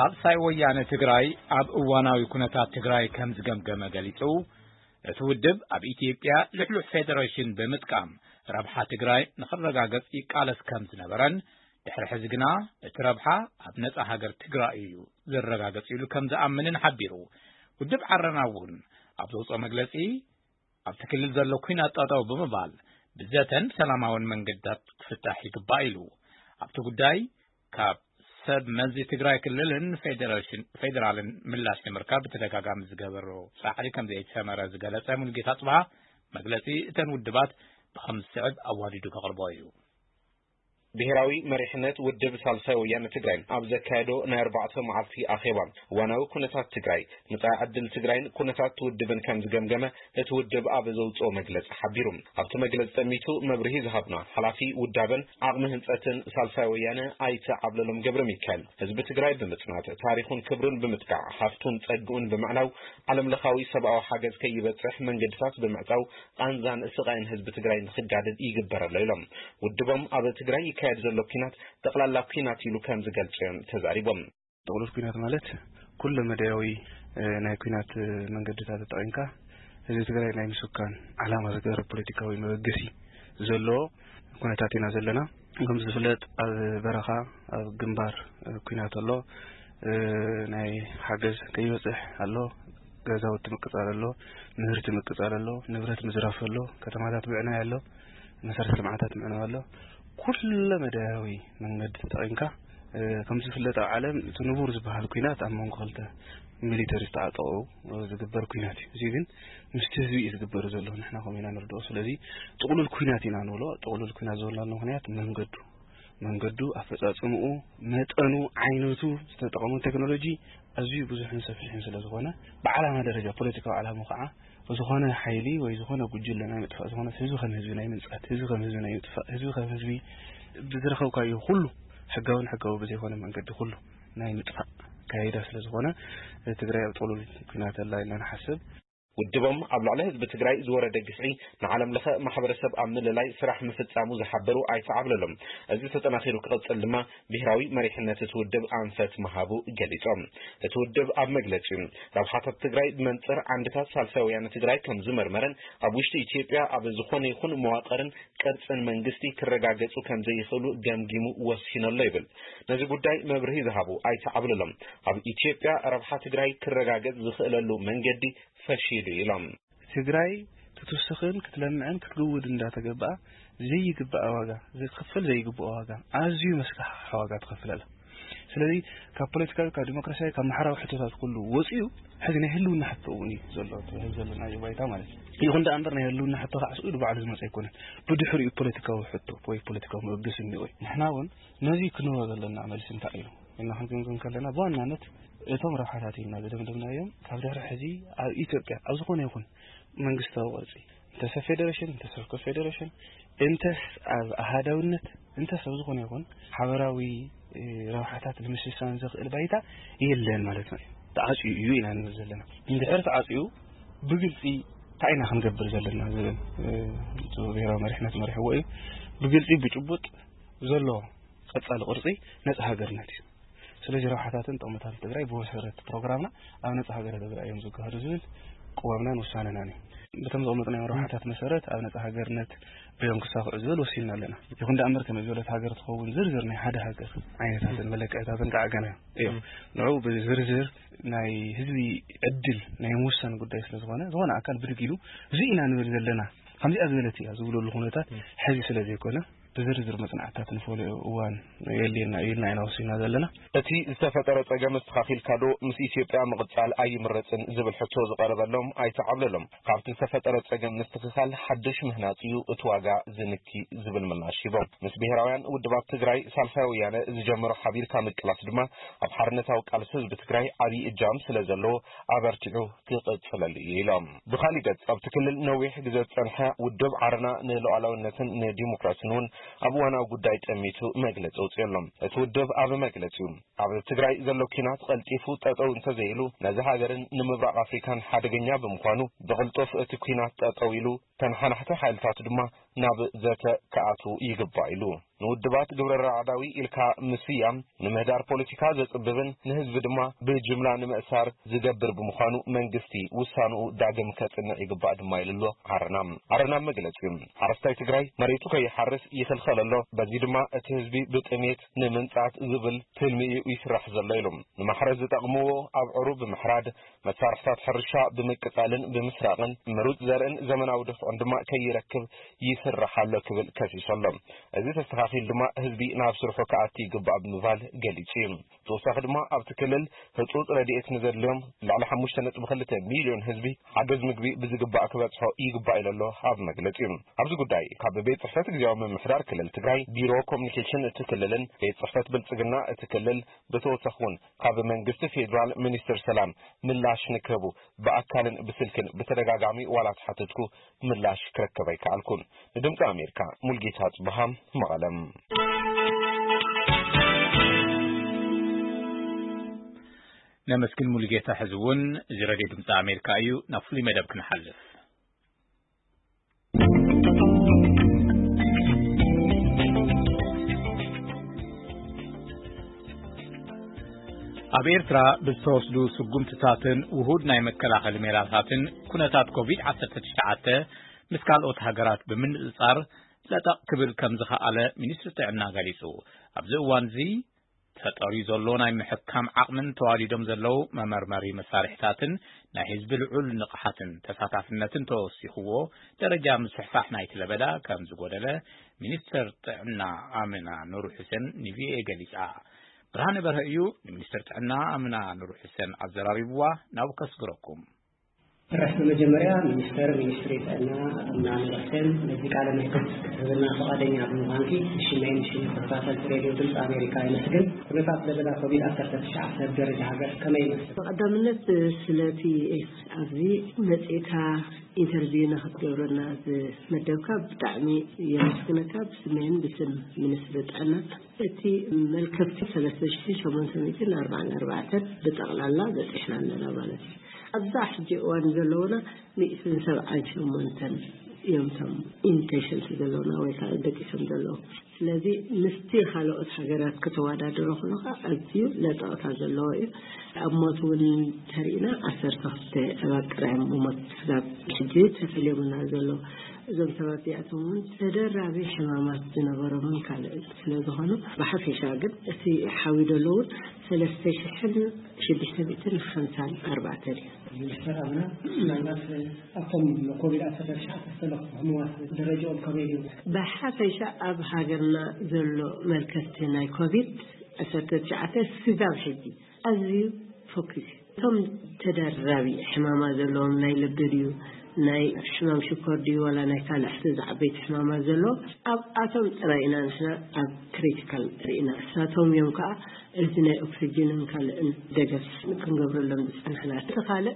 ሳልሳይ ወያነ ትግራይ ኣብ እዋናዊ ኩነታት ትግራይ ከም ዝገምገመ ገሊጹ። እቲ ውድብ ኣብ ኢትዮጵያ ልሕሉሕ ፌደሬሽን ብምጥቃም ረብሓ ትግራይ ንኽረጋገጽ ይቃለስ ከም ዝነበረን፣ ድሕሪ ሕዚ ግና እቲ ረብሓ ኣብ ነጻ ሃገር ትግራይ እዩ ዝረጋገጽ ኢሉ ከም ዝኣምንን ሓቢሩ። ውድብ ዓረና እውን ኣብ ዘውፅኦ መግለጺ፣ ኣብቲ ክልል ዘሎ ኲናት ጠጠው ብምባል ብዘተን ሰላማውን መንገድታት ክፍታሕ ይግባእ ኢሉ። ኣብቲ ጉዳይ ካብ ሰብ መዚ ትግራይ ክልልን ፌደሬሽን ፌደራልን ምላሽ ንምርካብ ብተደጋጋሚ ዝገበሮ ጻዕሪ ከም ዘይተሰመረ ዝገለጸ ሙሉጌታ ጽብሃ፣ መግለጺ እተን ውድባት ብኸም ዝስዕብ ኣዋዲዱ ከቕርቦ እዩ። ብሔራዊ መሪሕነት ውድብ ሳልሳይ ወያነ ትግራይ ኣብ ዘካየዶ ናይ ኣርባዕተ መዓልቲ ኣኼባ፣ እዋናዊ ኩነታት ትግራይ፣ መጻኢ ዕድል ትግራይን ኩነታት ውድብን ከም ዝገምገመ እቲ ውድብ ኣብ ዘውፅኦ መግለፂ ሓቢሩ። ኣብቲ መግለፂ ጠሚቱ መብርሂ ዝሃብና ሓላፊ ውዳበን ዓቕሚ ህንፀትን ሳልሳይ ወያነ ኣይተ ዓብለሎም ገብረ ሚካኤል፣ ህዝቢ ትግራይ ብምፅናት፣ ታሪኹን ክብሩን ብምጥቃዕ፣ ሃፍቱን ፀግኡን ብምዕናው፣ ዓለም ለኻዊ ሰብኣዊ ሓገዝ ከይበፅሕ መንገድታት ብምዕፃው፣ ቃንዛን ስቓይን ህዝቢ ትግራይ ንክጋደድ ይግበር ኣሎ ኢሎም። ውድቦም ኣብ ትግራይ ይካየድ ዘሎ ኲናት ጠቕላላ ኲናት ኢሉ ከም ዝገልጾ እዮም ተዛሪቦም። ጥቕሉል ኲናት ማለት ኩለ መዳያዊ፣ እ፣ ናይ ኲናት፣ እ፣ መንገድታት ተጠቒምካ ህዝቢ ትግራይ ናይ ምስካን ዓላማ ዝገበረ ፖለቲካዊ መበገሲ ዘለዎ ኩነታት ኢና ዘለና። ከም ዝፍለጥ ኣብ በረኻ፣ ኣብ ግንባር፣ እ፣ ኲናት ኣሎ። እ፣ ናይ ሓገዝ ከይበጽሕ ኣሎ። ገዛውቲ ምቅጻል ኣሎ። ምህርቲ ምቅጻል ኣሎ። ንብረት ምዝራፍ ኣሎ። ከተማታት ምዕናይ ኣሎ። መሰረተ ልምዓታት ምዕናው ኣሎ። ኩለ መዳያዊ መንገዲ ተጠቒምካ፣ እ፣ ከም ዝፍለጥ ኣብ ዓለም እቲ ንቡር ዝበሃል ኲናት ኣብ መንጎ ክልተ ሚሊተሪ ዝተዓጠቑ ዝግበር ኲናት እዩ። እዚ ግን ምስቲ ህዝቢ እዩ ዝግበር ዘሎ፣ ንሕና ከምኡ ኢና ንርድኦ። ስለዚ ጥቕሉል ኲናት ኢና ንብሎ። ጥቕሉል ኲናት ዝበልናሉ ምኽንያት መንገዱ፣ መንገዱ፣ ኣፈጻጽምኡ፣ መጠኑ፣ ዓይነቱ፣ ዝተጠቐሙ ቴክኖሎጂ ኣዝዩ ብዙሕን ሰፊሕን ስለ ዝኾነ፣ ብዓላማ ደረጃ፣ ፖለቲካዊ ዓላማ ከዓ ዝኾነ ሓይሊ ወይ ዝኾነ ጉጅለ ናይ ምጥፋእ ዝኾነ፣ ህዝቢ ከም ህዝቢ ናይ ምንጻት፣ ህዝቢ ከም ህዝቢ ናይ ምጥፋእ፣ ህዝቢ ከም ህዝቢ ብዝረኸብካዮ ኩሉ ሕጋውን ሕጋዊ ብዘይኮነ መንገዲ ኩሉ ናይ ምጥፋእ ኣካይዳ ስለ ዝኾነ፣ ትግራይ ኣብ ጥቕሉል ኲናት ኣላ ኢልና ንሓስብ። ውድቦም ኣብ ልዕሊ ህዝቢ ትግራይ ዝወረደ ግፍዒ ንዓለም ለኸ ማሕበረሰብ ኣብ ምልላይ ስራሕ ምፍጻሙ ዝሓበሩ ኣይተ ዓብለሎም፣ እዚ ተጠናኺሩ ክቕጽል ድማ ብሄራዊ መሪሕነት እቲ ውድብ ኣንፈት ምሃቡ ገሊጾም። እቲ ውድብ ኣብ መግለጺኡ፣ ረብሓታት ትግራይ ብመንጽር ዓንድታት ሳልሳይ ወያነ ትግራይ ከም ዝመርመረን ኣብ ውሽጢ ኢትዮጵያ ኣብ ዝኾነ ይኹን መዋቕርን ቅርጽን መንግስቲ ክረጋገጹ ከም ዘይኽእሉ ገምጊሙ ወሲኑ ኣሎ ይብል። ነዚ ጉዳይ መብርሂ ዝሃቡ ኣይተ ዓብለሎም፣ ኣብ ኢትዮጵያ ረብሓ ትግራይ ክረጋገጽ ዝኽእለሉ መንገዲ ፈሺሉ ኢሎም። ትግራይ ክትውስኽን ክትለምዕን ክትግውድ እንዳተገበኣ ዘይግባእ ዋጋ፣ ዝኽፈል ዘይግብኦ ዋጋ፣ ኣዝዩ መስካሕክሒ ዋጋ ትኸፍል ኣላ። ስለዚ ካብ ፖለቲካዊ፣ ካብ ዲሞክራሲያዊ፣ ካብ ማሕበራዊ ሕቶታት ኩሉ ወፂኡ ሕዚ ናይ ህልውና ሕቶ እውን እዩ ዘሎ፣ እቲ ሕዚ ዘለናዮ ባይታ ማለት እዩ። ይኹን ደኣ እምበር ናይ ህልውና ሕቶ ከዓ ስኡ ኢሉ ባዕሉ ዝመፀ ኣይኮነን። ብድሕሪኡ ፖለቲካዊ ሕቶ ወይ ፖለቲካዊ መበገሲ እኒኦ እዩ። ንሕና እውን ነዚ ክንህቦ ዘለና መልሲ እንታይ እዩ ኢልና ክንግምግም ከለና፣ ብዋናነት እቶም ረብሓታት ኢልና ዝደምደምናዮም ካብ ድሕሪ ሕዚ ኣብ ኢትዮጵያ ኣብ ዝኾነ ይኹን መንግስታዊ ቅርጺ፣ እንተስ ኣብ ፌደሬሽን፣ እንተስ ኣብ ኮንፌደሬሽን፣ እንተስ ኣብ ኣሃዳውነት፣ እንተስ ኣብ ዝኾነ ይኹን ሓበራዊ፣ እ፣ ረብሓታት ንምስሳን ዘኽእል ባይታ የለን ማለት ነው። ተዓጽዩ እዩ ኢና ንብል ዘለና። እንድሕር ተዓጽዩ ብግልጺ እንታይ ኢና ክንገብር ዘለና ዝብል፣ እ፣ እቲ ብሄራዊ መሪሕነት መሪሕዎ እዩ። ብግልጺ ብጭቡጥ ዘሎ ቀጻሊ ቅርጺ ነጻ ሃገርነት እዩ። ስለዚ ረብሓታትን ጥቕምታትን ትግራይ ብመሰረት ፕሮግራምና ኣብ ነጻ ሃገረ ትግራይ እዮም ዝገሃዱ ዝብል ቅዋምናን ውሳነናን እዩ። በቶም ዘቕመጥናዮም ረብሓታት መሰረት ኣብ ነጻ ሃገርነት እዮም ክሳኽዑ ዝብል ወሲንና ኣለና። ይኹን ደኣ እምበር ከመይ ዝበለት ሃገር ትኸውን ዝርዝር ናይ ሓደ ሃገር ዓይነታትን መለክዕታትን ከዓ ገና እዮም። ንዑ ብዝርዝር ናይ ህዝቢ ዕድል ናይ ምውሳን ጉዳይ ስለ ዝኾነ፣ ዝኾነ ኣካል ብድግ ኢሉ እዚ ኢና ንብል ዘለና፣ ከምዚኣ ዝበለት እያ ዝብለሉ ኩነታት ሕዚ ስለ ዘይኮነ፣ ብዝርዝር መጽናዕትታት ንፈልዮ እዋን የድልየና እዩ ኢልና ኢና ወሲንና ዘለና። እቲ ዝተፈጠረ ጸገም ኣስተኻኺልካ ዶ ምስ ኢትዮጵያ ምቕጻል ኣይምረጽን ዝብል ሕቶ ዝቐረበሎም ኣይተ ዓብለሎም፣ ካብቲ ዝተፈጠረ ጸገም ምስትኽኻል ሓድሽ ምህናጽ እዩ እቲ ዋጋ ዝንኪ ዝብል ምላሽ ሂቦም። ምስ ብሄራውያን ውድባት ትግራይ ሳልሳይ ወያነ ዝጀመሮ ሓቢርካ ምቅላስ ድማ ኣብ ሓርነታዊ ቃልሲ ህዝቢ ትግራይ ዓብዪ እጃም ስለ ዘለዎ ኣበርቲዑ ክቕጽለሉ እዩ ኢሎም። ብኻሊእ ገጽ፣ ኣብቲ ክልል ነዊሕ ግዜ ዝጸንሐ ውድብ ዓረና ንሉዓላውነትን ንዲሞክራስን እውን ኣብ እዋናዊ ጉዳይ ጠሚቱ መግለጺ ኣውጺኡ ኣሎ። እቲ ውድብ ኣብ መግለጺኡ፣ ኣብ ትግራይ ዘሎ ኲናት ቀልጢፉ ጠጠው እንተዘይሉ፣ ነዚ ሃገርን ንምብራቕ ኣፍሪካን ሓደገኛ ብምዃኑ፣ ብቕልጡፍ እቲ ኲናት ጠጠው ኢሉ ተነሓናሕቲ ሓይልታት ድማ ናብ ዘተ ክኣትዉ ይግባእ ኢሉ። ንውድባት ግብረ ራዕዳዊ ኢልካ ምስያም ንምህዳር ፖለቲካ ዘጽብብን ንህዝቢ ድማ ብጅምላ ንምእሳር ዝገብር ብምዃኑ መንግስቲ ውሳንኡ ዳግም ከጽንዕ ይግባእ ድማ ኢሉ ኣሎ። ዓረና ዓረና መግለጺ ሓረስታይ ትግራይ መሬቱ ከይሓርስ ይኽልኸል ኣሎ። በዚ ድማ እቲ ህዝቢ ብጥሜት ንምንጻት ዝብል ትልሚ እዩ ይስራሕ ዘሎ ኢሉ። ንማሕረስ ዝጠቕምዎ ኣብዕሩ ብምሕራድ መሳርሕታት ሕርሻ ብምቅጻልን ብምስራቕን ምሩጽ ዘርእን ዘመናዊ ድፍዑን ድማ ከይረክብ ይስራሕ ኣሎ ክብል ከሲሱ ኣሎ። እዚ ተስተኻኺሉ ድማ ህዝቢ ናብ ስርሑ ክኣቲ ይግባእ ብምባል ገሊጹ እዩ። ተወሳኺ ድማ ኣብቲ ክልል ህጹጽ ረድኤት ንዘድልዮም ልዕሊ ሓሙሽተ ነጥቢ ክልተ ሚልዮን ህዝቢ ሓገዝ ምግቢ ብዝግባእ ክበጽሖ ይግባእ ኢሉ ኣሎ ኣብ መግለጺ። ኣብዚ ጉዳይ ካብ ቤት ጽሕፈት ግዜያዊ ምምሕዳር ክልል ትግራይ ቢሮ ኮሚኒኬሽን እቲ ክልልን ቤት ጽሕፈት ብልጽግና እቲ ክልል ብተወሳኺ እውን ካብ መንግስቲ ፌዴራል ሚኒስትር ሰላም ምላሽ ንክህቡ ብኣካልን ብስልክን ብተደጋጋሚ ዋላ ተሓተትኩ ምላሽ ክረከብ ኣይከኣልኩን። ንድምፂ ኣሜሪካ ሙልጌታ ጽብሃ መቐለም። ነመስግን ሙልጌታ። ሕዚ እውን እዚ ረድዮ ድምፂ ኣሜሪካ እዩ። ናብ ፍሉይ መደብ ክንሓልፍ። ኣብ ኤርትራ ብዝተወስዱ ስጉምትታትን ውሁድ ናይ መከላኸሊ ሜላታትን ኩነታት ኮቪድ ዓሰርተ ትሽዓተ ምስ ካልኦት ሃገራት ብምንጽጻር ለጠቕ ክብል ከም ዝኸኣለ ሚኒስትሪ ጥዕና ገሊጹ። ኣብዚ እዋን እዚ ተጠርዩ ዘሎ ናይ ምሕካም ዓቕምን ተዋሊዶም ዘለዉ መመርመሪ መሳርሕታትን ናይ ህዝቢ ልዑል ንቕሓትን ተሳታፍነትን ተወሲኽዎ ደረጃ ምስሕፋሕ ናይቲ ለበዳ ከም ዝጎደለ ሚኒስትር ጥዕና ኣምና ኑሩ ሑሴን ንቪኦኤ ገሊጻ። ብርሃነ በርሀ እዩ ንሚኒስትር ጥዕና ኣምና ኑሩ ሑሴን ኣዘራሪብዋ። ናብ ከስግረኩም። ርሕ ብመጀመርያ ሚኒስተር ሚኒስትሪ ጥዕና ኣምና ኑሩ ሑሴን ነዚ ቃለ መሕትት ክትህብና ፈቓደኛ ብምዃንኪ ብሽመይን ብሽም ተኸታተልቲ ሬድዮ ድምፂ ኣሜሪካ የመስግን። ኩነታት ለበዳ ኮቪድ ዓሰርተ ትሽዓተ ኣብ ደረጃ ሃገር ከመይ ይመስል? ብቐዳምነት ስለቲ ኣብዚ መጺእካ ኢንተርቪው ንክትገብረና ዝመደብካ ብጣዕሚ የመስግነካ ብስመይን ብስም ሚኒስትሪ ጥዕና። እቲ መልከፍቲ ሰለስተ ሽሕን ሸሞንተ ሚእትን ኣርባዓን ኣርባዕተን ብጠቕላላ በጺሕና ኣለና ማለት እዩ። ኣብዛ ሕጂ እዋን ዘለውና ሚእትን ሰብዓን ሸሞንተን እዮም እቶም ኢንፔሸንት ዘለውና ወይ ከዓ ደቂሶም ዘለዉ። ስለዚ ምስቲ ካልኦት ሃገራት ከተወዳድሮ ከለኻ ኣዝዩ ለጠቕታ ዘለዎ እዩ። ኣብ ሞት እውን ተሪእና ዓሰርተ ክልተ ሰባት ጥራይ እዮም ብሞት ስጋብ ሕጂ ተፈልዮምና ዘለዉ። እዞም ሰባት እዚኣቶም እውን ተደራቢ ሕማማት ዝነበሮምን ካልእ ስለ ዝኾኑ ብሓፈሻ ግን እቲ ሓዊ ዘለውን ሰለስተ ሽሕን ሽዱሽተ ሚእትን ሓምሳን ኣርባዕተን እዩ። ሚኒስተር ኣምና ምናልባት ኣብቶም ኮቪድ ዓሰርተ ትሽዓተ ዝተለኽፉ ሕሙማት ደረጃኦም ከመይ እዩ? ብሓፈሻ ኣብ ሃገርና ዘሎ መልከፍቲ ናይ ኮቪድ ዓሰርተ ትሽዓተ ስጋብ ሕጂ ኣዝዩ ፎኪስ እዩ። እቶም ተደራቢ ሕማማ ዘለዎም ናይ ልቢ ድዩ ናይ ሕማም ሽኮር ድዩ ዋላ ናይ ካልእ ሕዚ ዝዓበይቲ ሕማማ ዘሎ ኣብኣቶም ጥራይ ኢና ንሕና ኣብ ክሪቲካል ርኢና እሳቶም እዮም ከዓ እዚ ናይ ኦክሲጅንን ካልእን ደገፍ ክንገብረሎም ዝፀናሕና እቲ ካልእ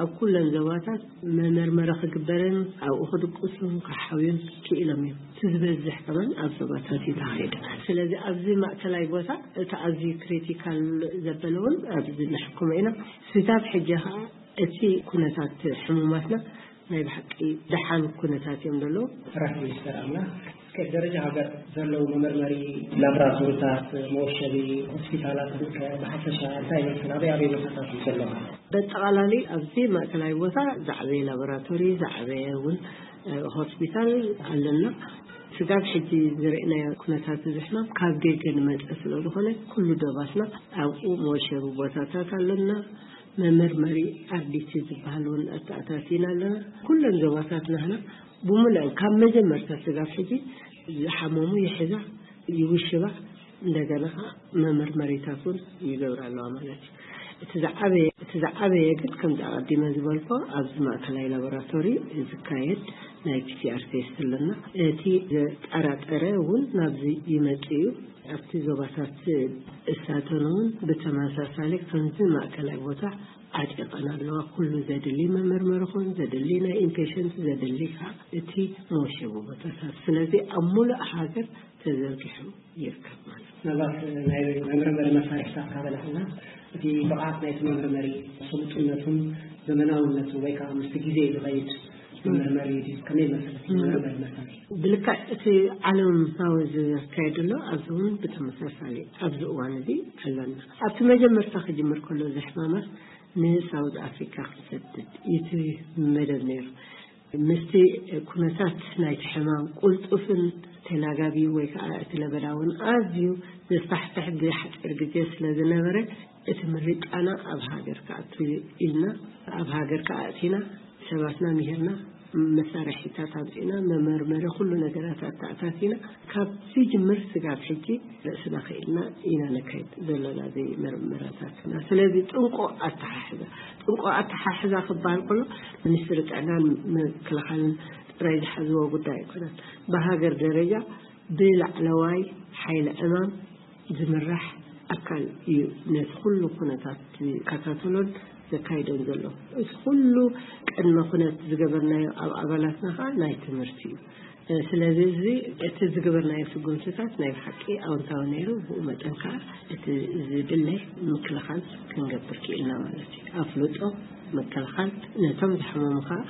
ኣብ ኩለን ዞባታት መመርመሪ ክግበርን ኣብኡ ክድቅሱን ክሓውዩን ክኢሎም እዮም። እቲ ዝበዝሕ ከማን ኣብ ዞባታት እዩ ተኻይዱ። ስለዚ ኣብዚ ማእከላይ ቦታ እቲ ኣዝዩ ክሪቲካል ዘበለ እውን ኣብዚ ንሕክሞ ኢና። ስጋብ ሕጂ ከዓ እቲ ኩነታት ሕሙማትና ናይ ብሓቂ ደሓን ኩነታት እዮም ዘለዉ። ራስ ሚኒስተር ኣምና እስከ ደረጃ ሃገር ዘለዉ መመርመሪ ላብራቶሪታት መወሸቢ ሆስፒታላት ብሓፈሻ እንታይ ይመስል ኣበይ ኣበይ ቦታታት እዩ ዘለዉ? በጠቓላሊ ኣብዚ ማእከላይ ቦታ ዝዓበየ ላቦራቶሪ ዝዓበየ እውን ሆስፒታል ኣለና። ስጋብ ሕጂ ዝርኢናዮ ኩነታት እዚ ሕማም ካብ ደገ ንመፀ ስለ ዝኾነ ኩሉ ደባትና ኣብኡ መወሸቢ ቦታታት ኣለና። መመርመሪ ኣርዲቲ ዝበሃል እውን ኣተኣታቲና ኣለና። ኩለን ዞባታት ናህና ብምልአን ካብ መጀመርታ ስጋብ ሕጂ ዝሓመሙ ይሕዛ ይውሽባ እንደገና ከዓ መመርመሪታት እውን ይገብራ ኣለዋ ማለት እዩ። እቲ ዝዓበየ እቲ ዝዓበየ ግን ከምዚ ኣቐዲመ ዝበልኮ ኣብዚ ማእከላይ ላቦራቶሪ ዝካየድ ናይ ፒሲኣር ቴስት ኣለና። እቲ ዘጠራጠረ እውን ናብዚ ይመጽእ እዩ። ኣብቲ ዞባታት እሳተን እውን ብተመሳሳሊ ከምዚ ማእከላይ ቦታ ዓጢቐን ኣለዋ። ኩሉ ዘድሊ መመርመሪ ኹን ዘድሊ ናይ ኢምፔሽንት ዘድሊ ከዓ እቲ መወሸቢ ቦታታት ስለዚ ኣብ ሙሉእ ሃገር ተዘርጊሑ ይርከብ ማለት እዩ። ምናልባት ናይ መመርመሪ መሳርሕታት ካበላዕና እቲ ብቕዓት ናይቲ መመርመሪ ስሉጥነቱን ዘመናውነቱ ወይ ከዓ ምስቲ ግዜ ዝኸይድ መርመሪ ድዩ? ከመይ መስርሕ መርመሪ መሳርሒ? ብልክዕ እቲ ዓለማዊ ዝካየድ ኣሎ፣ ኣብዚ እውን ብተመሳሳሊ ኣብዚ እዋን እዚ ኣለና። ኣብቲ መጀመርታ ክጅምር ከሎ እዚ ሕማማት ንሳውዝ ኣፍሪካ ክሰድድ እቲ መደብ ነይሩ። ምስቲ ኩነታት ናይቲ ሕማም ቁልጡፍን ተላጋቢ ወይ ከዓ እቲ ለበዳ እውን ኣዝዩ ዘስፋሕፍሕ ብሓፂር ግዜ ስለ ዝነበረ እቲ ምርጫና ኣብ ሃገር ክኣቱ ኢልና ኣብ ሃገር ክኣቲና ሰባትና ምሂርና መሳርሒታት ኣምፂና መመርመሪ ኩሉ ነገራት ኣተኣታቲና ካብ ዝጅምር ስጋብ ሕጂ ርእስና ክኢልና ኢና ነካይድ ዘለና እዚ መርመራታት። ስለዚ ጥንቆ ኣተሓሕዛ ጥንቆ ኣተሓሕዛ ክበሃል ከሎ ሚኒስትሪ ጥዕናን ምክልኻልን ጥራይ ዝሓዝዎ ጉዳይ ኣይኮነን። ብሃገር ደረጃ ብላዕለዋይ ሓይሊ ዕማም ዝምራሕ ኣካል እዩ ነቲ ኩሉ ኩነታት ዝከታተሎን ዘካይዶን ዘሎ። እዚ ኩሉ ቅድመ ኩነት ዝገበርናዮ ኣብ ኣባላትና ከዓ ናይ ትምህርቲ እዩ። ስለዚ እዚ እቲ ዝገበርናዮ ስጉምትታት ናይ ብሓቂ ኣወንታዊ ነይሩ። ብኡ መጠን ከዓ እቲ ዝድለ ምክልኻል ክንገብር ክኢልና ማለት እዩ። ኣፍልጦ ምክልኻል ነቶም ዝሓመሙ ከዓ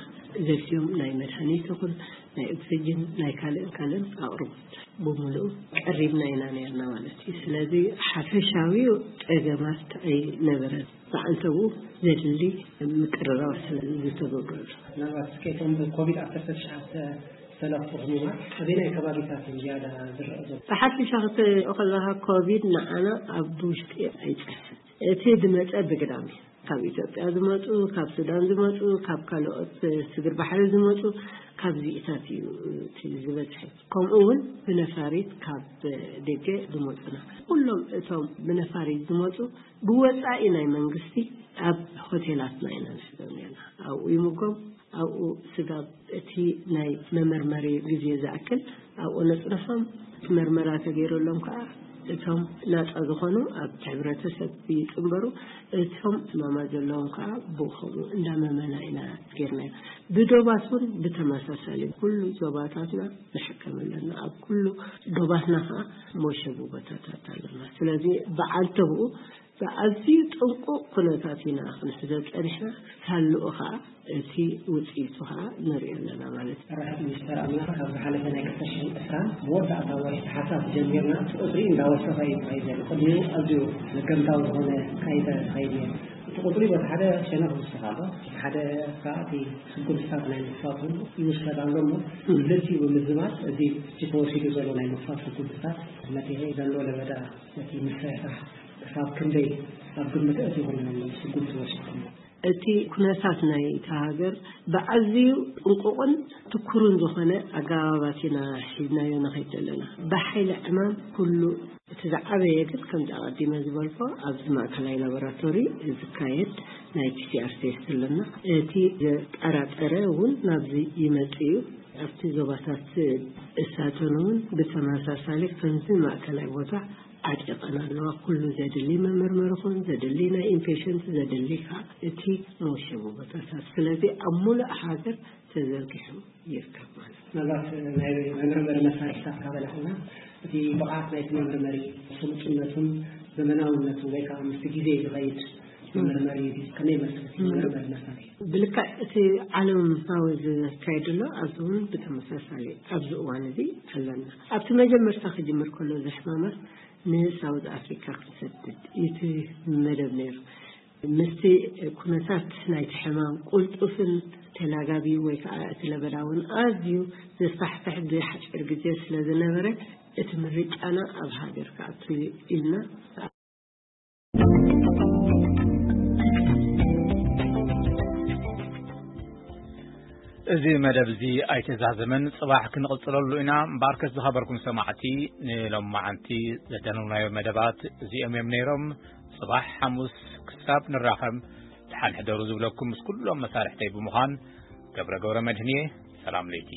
ዘድልዮም ናይ መድሃኒት ይኹን ናይ ኦክሲጅን ናይ ካልእን ካልእን ኣቕርቦት ብምልኡ ቀሪብና ኢና ነርና ማለት እዩ። ስለዚ ሓፈሻዊ ፀገማት ኣይነበረን። ብዓንተቡ ዘድሊ ምቅርራባት ዝተገብረሉ። ምናልባት እስከ እቶም ብኮቪድ ዓሰርተ ትሽዓተ ዝተለኽፉ ህሙማት ኣበየናይ ከባቢታት እዩ ዝያዳ ዝረአ ዘሎ? ብሓፈሻ ክትሪኦ ከለካ ኮቪድ ንዓና ኣብ ውሽጢ ኣይፀንሐን። እቲ ዝመፀ ብግዳም እዩ። ካብ ኢትዮጵያ ዝመፁ፣ ካብ ሱዳን ዝመፁ፣ ካብ ካልኦት ስግር ባሕሪ ዝመፁ፣ ካብዚኢታት እዩ እቲ ዝበዝሐ። ከምኡ እውን ብነፋሪት ካብ ደገ ዝመፁና ኩሎም እቶም ብነፋሪት ዝመፁ ብወፃኢ ናይ መንግስቲ ኣብ ሆቴላትና ኢና ንሕዞም ነርና። ኣብኡ ይምጎም፣ ኣብኡ ስጋብ እቲ ናይ መመርመሪ ግዜ ዝኣክል ኣብኡ ነፅንሖም። እቲ መርመራ ተገይረሎም ከዓ እቶም ናፃ ዝኾኑ ኣብቲ ሕብረተሰብ ይፅንበሩ። እቶም ሕማማት ዘለዎም ከዓ ብኡ ከምኡ እንዳመመና ኢና ገይርናዮ። ብዶባት እውን ብተመሳሳሊ ኩሉ ዞባታትና ንሕከም ኣለና። ኣብ ኩሉ ዶባትና ከዓ መሸቡ ቦታታት ኣለና። ስለዚ ብዓንተብኡ ብኣዝዩ ጥንቁቕ ኩነታት ኢና ክንሕዞ ፀኒሕና። ሳልኡ ከዓ እቲ ውፅኢቱ ከዓ ንሪኦ ኣለና ማለት እዩ። ኣራሕት ሚኒስተር ኣምላኽ ካብ ዝሓለፈ ናይ ክልተ ሽሕን ዕስራን መወዳእታ ወርሒ ታሕሳስ ጀሚርና እቲ ቁፅሪ እንዳወሰኸ እዩ ተኸይዱ ዘሎ። ቅድሚኡ ኣዝዩ መገምታዊ ዝኾነ ካይዳ ተኸይዱ ነይሩ። እቲ ቁፅሪ በቲ ሓደ ሸነኽ ይውስኽ ኣሎ፣ በቲ ሓደ ከዓ እቲ ስጉምትታት ናይ ምኽፋት እውን ይውሰድ ኣሎ እሞ፣ ክልቲኡ ብምዝማድ እዚ ሕጂ ተወሲዱ ዘሎ ናይ ምኽፋት ስጉምትታት ነቲ ዘሎ ለበዳ ነቲ ምስሕሓሕ ክሳብ ክንደይ ኣብ ግምት ኣእቲኹም ስጉምቲ ወሲድኩም? እቲ ኩነታት ናይቲ ሃገር ብኣዝዩ ጥንቁቕን ትኩርን ዝኾነ ኣገባባት ኢና ሒዝናዮ ንኸይድ ዘለና። ብሓይሊ ዕማም ኩሉ እቲ ዝዓበየ ግን ከምዚ ኣቐዲመ ዝበልኮ ኣብዚ ማእከላይ ላቦራቶሪ ዝካየድ ናይ ፒሲኣር ቴስት ኣለና። እቲ ዘጠራጠረ እውን ናብዚ ይመጽእ እዩ። ኣብቲ ዞባታት እሳተን እውን ብተመሳሳሊ ከምዚ ማእከላይ ቦታ ዓጢቐን ኣለዋ። ኩሉ ዘድሊ መመርመሪ ኹን ዘድሊ ናይ ኢምፔሽንት ዘድሊ ከዓ እቲ መወሸቢ ቦታታት። ስለዚ ኣብ ሙሉእ ሃገር ተዘርጊሑ ይርከብ ማለት እዩ። ምናልባት ናይ መመርመሪ መሳርሒታት ካበላዕና እቲ ብቕዓት ናይቲ መመርመሪ ስሉጥነቱን ዘመናውነቱን ወይ ከዓ ምስቲ ግዜ ዝኸይድ መመርመሪ ድዩ? ከመይ መስርሕ መመርመሪ መሳርሒ? ብልክዕ እቲ ዓለማዊ ዝካየድ ኣሎ፣ ኣብዚ እውን ብተመሳሳሊ ኣብዚ እዋን እዚ ኣለና። ኣብቲ መጀመርታ ክጅምር ከሎ እዚ ሕማማት ንሳውዝ ኣፍሪካ ክንሰድድ እዩ እቲ መደብ ነይሩ። ምስቲ ኩነታት ናይቲ ሕማም ቁልጡፍን ተላጋቢ ወይ ከዓ እቲ ለበዳ እውን ኣዝዩ ዘስፋሕፍሕ ብሓፂር ግዜ ስለ ዝነበረ እቲ ምርጫና ኣብ ሃገር ክኣቱ ኢልና። እዚ መደብ እዚ ኣይተዛዘመን፣ ጽባሕ ክንቕጽለሉ ኢና። እምበኣርከስ ዝኸበርኩም ሰማዕቲ፣ ንሎማዓንቲ ዘዳለውናዮ መደባት እዚኦም እዮም ነይሮም። ጽባሕ ሓሙስ ክሳብ ንራኸብ፣ ደሓን ሕደሩ ዝብለኩም ምስ ኩሎም መሳርሕተይ ብምዃን ገብረ ገብረ መድህን እየ። ሰላም ለይቲ።